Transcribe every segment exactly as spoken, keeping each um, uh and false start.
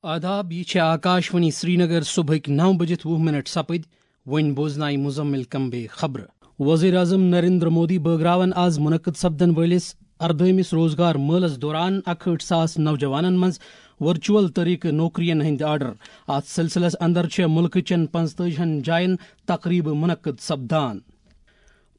آداب، یہِ چھِ آکاشوانی سرینگر۔ صبحٕکۍ نَو بٔجِتھ وُہ منٹ سپٕدۍ۔ وۄنۍ بوزنایہِ مزمل کمبے خبرٕ۔ وزیر اعظم نریندر مودی بٲگراون آز منعقد سپدن وٲلِس اردٲہمِس روزگار مٲلس دوران اکہٲٹھ ساس نوجوانن منٛز ورچوئل طریقہٕ نوکرین ہٕنٛدۍ آرڈر۔ اتھ سلسلس اندر چھےٚ مُلکہٕ چٮ۪ن پنٛژتٲجی ہن جاین تقریبہٕ منعقد سپدان۔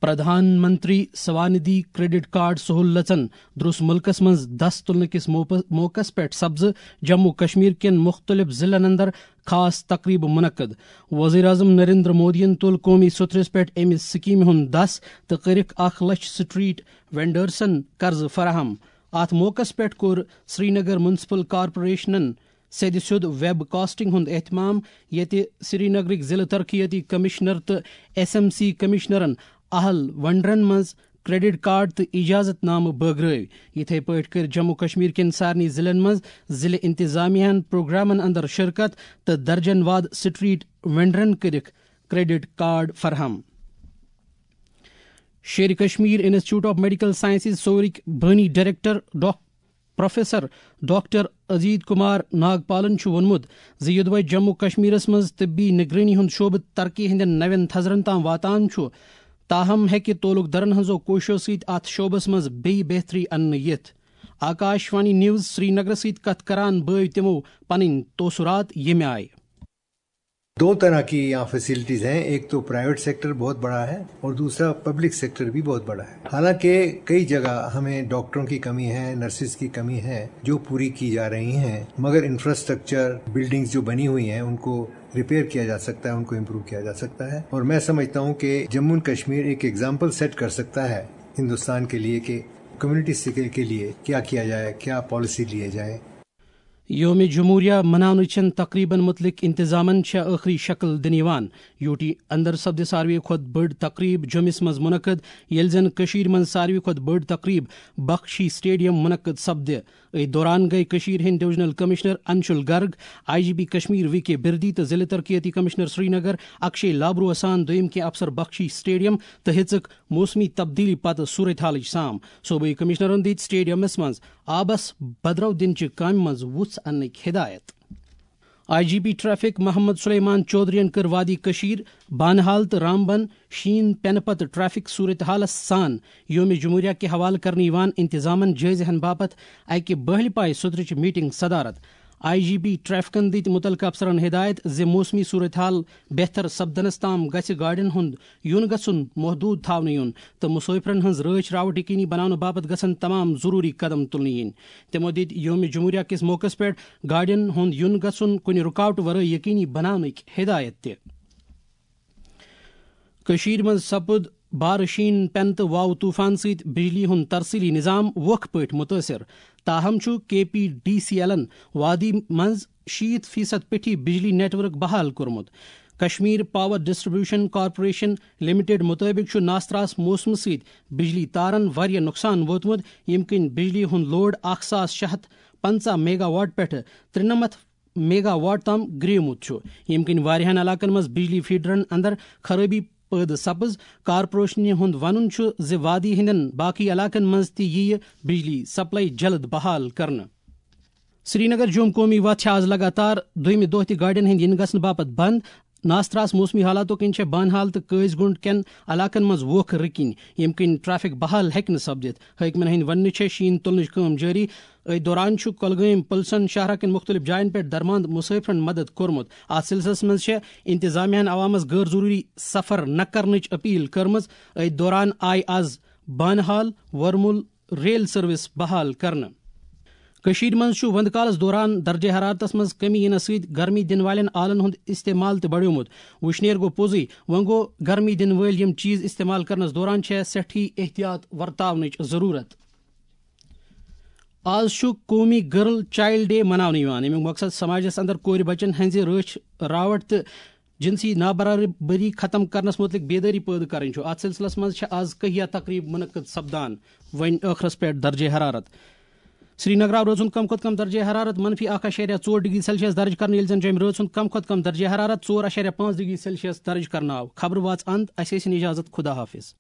پردھان منتری سوانِدھی کریڈٹ کارڈ سہولژن دروٚس مُلکس منٛز دس تُلنہٕ کِس موپ-، موقعس پٮ۪ٹھ سپزٕ جموں کشمیر کٮ۪ن مُختٔلِف ضلعن اندر خاص تقریبہٕ منعقد۔ وزیر اعظم نریندر مودیَن تُل قومی سوٚتھرِس پٮ۪ٹھ اَمہِ سکیمہِ ہُنٛد دَس تہٕ کٔرِکھ اکھ لچھ سٹریٹ وینڈرسن قرضہٕ فراہم۔ اَتھ موقعس پٮ۪ٹھ کوٚر سرینگر میونسپل کارپوریشنَن سیٚدِ سیوٚد ویب کاسٹنگ ہُنٛد اہتمام، ییٚتہِ سرینگرٕکۍ ضلع ترقیتی کمشنر تہٕ ایس ایم سی کمشنرن اہل ونڈرن منٛز کریڈٹ کارڈ تہٕ اجازت نامہٕ بٲگرٲوۍ۔ یِتھے پٲٹھۍ کٔرۍ جموں کشمیر کٮ۪ن سارنٕے ضلعن منٛز ضلع انتظامیہن پروگرامن اندر شرکت تہٕ درجن واد سٹریٹ وینڈرن کٔرِکھ کریڈٹ کارڈ فراہم۔ Sher Kashmir institute of medical sciences سورٕکۍ بٲنی ڈائریکٹر ڈاک-، پروفیسر ڈاکٹر اجیت کمار ناگپالن چھُ ووٚنمُت زِ یوٚدوے جموں کشمیرس منٛز طبی نگرٲنی ہُنٛد شعبہٕ ترقی ہٕنٛدٮ۪ن نوٮ۪ن تھزرن تام واتان چھُ، تاہم ہیٚکہِ تعلق دارن ہٕنٛزو کوٗششو سۭتۍ اتھ شعبس منٛز بیٚیہِ بہتری اننہٕ یِتھ۔ آکاش وانی نیوز سرینگرس سۭتۍ کتھ کران بٲوۍ تِمو پنٕنۍ تاثرات ییٚمہِ آیہِ۔ دو طرح کی یہاں فیسلٹیز ہیں، ایک تو پرائیویٹ سیکٹر بہت بڑا ہے اور دوسرا پبلک سیکٹر بھی بہت بڑا ہے۔ حالانکہ کئی جگہ ہمیں ڈاکٹروں کی کمی ہے، نرسز کی کمی ہے جو پوری کی جا رہی ہیں، مگر انفراسٹرکچر، بلڈنگز جو بنی ہوئی ہیں، ان کو ریپیئر کیا جا سکتا ہے، ان کو امپروو کیا جا سکتا ہے۔ اور میں سمجھتا ہوں کہ جموں اینڈ کشمیر ایک ایگزامپل سیٹ کر سکتا ہے ہندوستان کے لیے کہ کمیونٹی سکل کے لیے کیا کیا جائے، کیا پالیسی لیے جائے۔ یوم جمہوریہ مناونہٕ چٮ۪ن تقریبن متعلق انتظامن چھےٚ ٲخری شکل دِنہٕ یِوان۔ یوٗ ٹی اندر سپدِ ساروی کھۄتہٕ بٔڑ تقریب جوٚمِس منٛز منعقد، ییٚلہِ زن کٔشیٖرِ منٛز ساروی کھۄتہٕ بٔڑ تقریب بخشی سٹیڈیم منعقد سپدِ۔ أتھۍ دوران گٔیہِ کٔشیٖرِ ہٕنٛدۍ divisional commissioner Anshul Garg, I G P Kashmir V K Birdi تہٕ ضلع ترقیتی کمشنر سرینگر اکشے لابروہس سان دوٚیِم کینٛہہ افسر بخشی سٹیڈیم تہٕ ہیٚژٕکھ موسمی تبدیلی پتہٕ صورتحالٕچ سام۔ صوبٲئی کمشنرن دِتۍ سٹیڈیمس منٛز آبس بدرو دِنچہِ کامہِ منٛز وُژھ اننٕکۍ ہدایت۔ I G P traffic Mohammad Suleman چودھرین کٔر وادی کشمیر، بانہال تہٕ رامبن شیٖن پٮ۪نہٕ پتہٕ ٹریفک صورتحالس سان یوم جمہوریہ کہِ حوالہٕ کرنہٕ یِوان انتظامن جٲیزٕ ہن باپتھ اکہِ بٲہلہِ پایہِ سوٚترٕچ میٹنگ صدارت۔ آئی جی پی ٹریفکن دِتۍ مُتعلقہٕ افسرن ہدایت زِ موسمی صورتحال بہتر سپدنس تام گژھِ گاڑٮ۪ن ہُنٛد یُن گژھُن محدوٗد تھاونہٕ یُن تہٕ مسافرن ہٕنٛز رٲچھ راوٹھ یقینی بناونہٕ باپتھ گژھن تمام ضروٗری قدم تُلنہٕ یِنۍ۔ تِمو دِتۍ یوم جمہوریہ کِس موقعس پٮ۪ٹھ گاڑٮ۪ن ہُنٛد یُن گژھُن کُنہِ رُکاوٹ ورٲے یقینی بناونٕکۍ ہدایت تہِ۔ کٔشیٖرِ منٛز سپُد بارٕ شیٖن پٮ۪نہٕ تہٕ واوٕ طوٗفان سۭتۍ بجلی ہُنٛد ترسیٖلی نظام ووکھٕ پٲٹھۍ مُتٲثِر۔ تاہم چھُ کے پی ڈی سی ایلن وادی منٛز شیٖتھ فیصد پیٚٹھی بجلی نیٹ ورک بحال کوٚرمُت۔ Kashmir power distribution corporation limited مُطٲبِق چھُ ناستراس موسمہٕ سۭتۍ بجلی تارن واریاہ نۄقصان ووتمُت، ییٚمہِ کِنۍ بجلی ہُنٛد لوڈ اکھ ساس شےٚ ہتھ پنٛژاہ میگا واٹ پٮ۪ٹھٕ ترٛنَمتھ میگا واٹ تام گریومُت چھُ، ییٚمہِ کِنۍ واریاہَن علاقَن منٛز بجلی فیڈرَن اندر خرٲبی پٲدٕ سپٕز۔ کارپوریشنہِ ہُنٛد وَنُن چھُ زِ وادی ہٕنٛدٮ۪ن باقی علاقَن منٛز تہِ یِیہِ بجلی سپلائی جلد بحال کرنہٕ۔ سرینگر جوم قومی وتھ چھِ آز لگاتار دوٚیمہِ دۄہ تہِ گاڑٮ۪ن ہٕنٛدۍ یِنہٕ گژھنہٕ باپتھ بنٛد۔ ناستراس موسمی حالاتو کِنۍ چھےٚ بانہال تہٕ قٲضۍ گُنڈ کٮ۪ن علاقن منٛز ووکھٕ رٕکِنۍ، ییٚمہِ کِنۍ ٹریفک بحال ہیٚکہِ نہٕ سپدِتھ۔ حٲکمن ہٕنٛدۍ وننہٕ چھےٚ شیٖن تُلنٕچ کٲم جٲری۔ أتھۍ دوران چھُ کۄلگٲمۍ پُلسن شاہراہ کٮ۪ن مُختٔلِف جاین پٮ۪ٹھ درماند مُسٲفرن مدد کوٚرمُت۔ اتھ سلسلس منٛز چھےٚ انتظامیہ ہن عوامس غٲر ضروٗری سفر نہ کرنٕچ اپیل کٔرمٕژ۔ أتھۍ دوران آیہِ آز بانہال، ورمُل، ریل سروس بحال کرنہٕ۔ کٔشیٖرِ منٛز چھُ وندٕ کالَس دوران درجہ حرارتَس منٛز کمی یِنَس سۭتۍ گرمی دِنہٕ والٮ۪ن آلَن ہُنٛد استعمال تہِ بڑیومُت۔ وُشنیر گوٚو پوٚزُے، وۄنۍ گوٚو گرمی دِنہٕ وٲلۍ یِم چیٖز استعمال کرنَس دوران چھےٚ سٮ۪ٹھٕے احتیاط ورتاونٕچ ضروٗرت۔ آز چھُ قومی گرل چائلڈ ڈے مناونہٕ یِوان، ییٚمیُک مقصد سماجَس اندر کورِ بچن ہٕنٛزِ رٲچھ راوٹھ تہٕ جنسی نابرابری ختم کرنس متعلق بیدٲری پٲدٕ کرٕنۍ چھُ۔ اتھ سلسلس منٛز چھِ آز کہیا تقریب منعقد سپدان۔ وۄنۍ ٲخرس پٮ۪ٹھ درجہ حرارت۔ سرینگرٕ آو رٲژ ہُنٛد کم کھۄتہٕ کم درجہ حرارت منفی اکھ اعشاریہ ژور ڈگری سیلسیس درج کرنہٕ، ییٚلہِ زن جوٚمہِ رٲژ ہُنٛد کم کھۄتہٕ کم درجہ حرارت ژور اعشاریہ پانٛژھ ڈگری سیلسیس درج کرنہٕ آو۔ خبرٕ واژ اند، اسہِ ٲسِن اجازت، خدا حافظ۔